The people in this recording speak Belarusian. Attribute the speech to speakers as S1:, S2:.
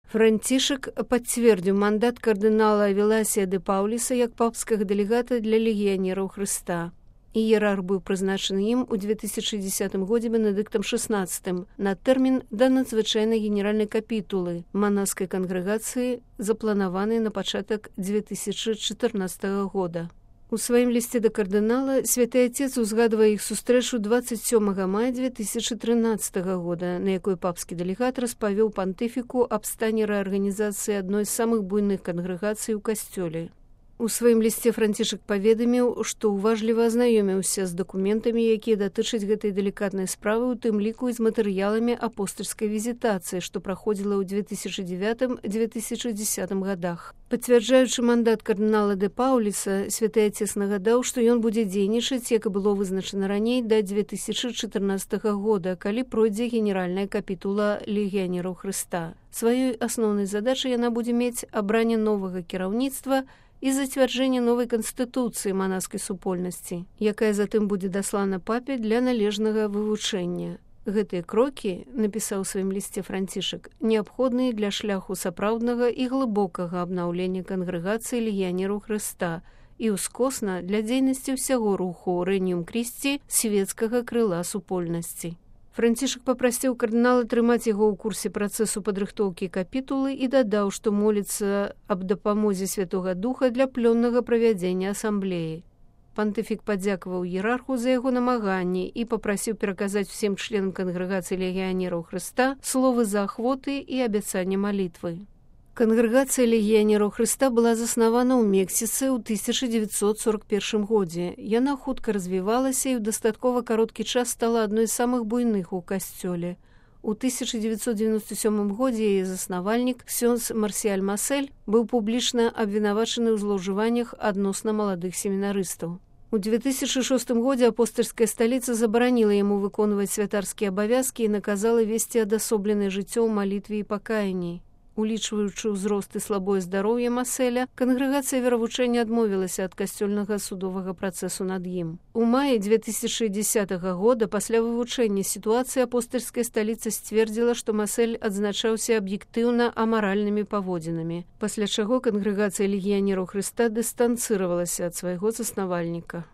S1: Францішак пацвердзіў мандат кардынала Веласія де Паўліса як папскага дэлегата для легіянераў Хрыста. Іерарх быў прызначаны ім у 2010 годзе Бенедыктам XVI на тэрмін да надзвычайнай генеральнай капітулы манаскай кангрэгацыі, запланаванай на пачатак 2014 года. У сваім лісце да кардынала святы Отец узгадвае іх сустрэчу 27 мая 2013 года, на якой папскі дэлегат распавёў пантыфіку аб стане рэарганізацыі адной з самых буйных кангрэгацый у касцёле. У сваім лісце Францішак паведаміў, што ўважліва азнаёміўся з дакументамі, якія датычаць гэтай далікатнай справы, у тым ліку і з матэрыяламі апостальскай візітацыі, што праходзіла ў 2009-2010 годах. Пацвярджаючы мандат кардынала де Паўліса, святы Отец нагадаў, што ён будзе дзейнічаць, як і было вызначана раней, да 2014 года, калі пройдзе генеральная капітула легіянераў Хрыста. Сваёй асноўнай задачай яна будзе мець абранне новага кіраўніцтва і зацвярджэнне новай канстытуцыі манаскай супольнасці, якая затым будзе даслана папе для належнага вывучэння. Гэтыя крокі, напісаў у сваім лісце Францішак, неабходныя для шляху сапраўднага і глыбокага абнаўлення кангрэгацыі легіянераў Хрыста і ўскосна для дзейнасці ўсяго руху Рэгніум Крісці свецкага крыла супольнасці. Францішак папрасіў кардынала трымаць яго ў курсе працэсу падрыхтоўкі капітулы і дадаў, што моліцца аб дапамозе Святога Духа для плённага правядзення асамблеі. Пантыфік падзякаваў іерарху за яго намаганні і папрасіў пераказаць усім членам кангрэгацыі легіянераў Хрыста словы заахвоты і абяцання малітвы. Кангрэгацыя легіянераў Хрыста была заснавана ў Мексіцы ў 1941 годзе. Яна хутка развівалася і ў дастаткова кароткі час стала адной з самых буйных у касцёле. У 1997 годзе яе заснавальнік ксёндз Марсіяль Масель быў публічна абвінавачаны ў злоўжываннях адносна маладых семінарыстаў. У 2006 годзе апостальская сталіца забараніла яму выконваць святарскія абавязкі і наказала весці адасобленае жыццё ў малітве і пакаянні. Улічваючы ўзрост і слабое здароўе Маселя, кангрэгацыя веравучэння адмовілася ад касцёльнага судовага працэсу над ім. У маі 2010 года пасля вывучэння сітуацыі апостальская сталіца сцвердзіла, што Масель адзначаўся аб'ектыўна амаральнымі паводзінамі, пасля чаго кангрэгацыя легіянераў Хрыста дыстанцыравалася ад свайго заснавальніка.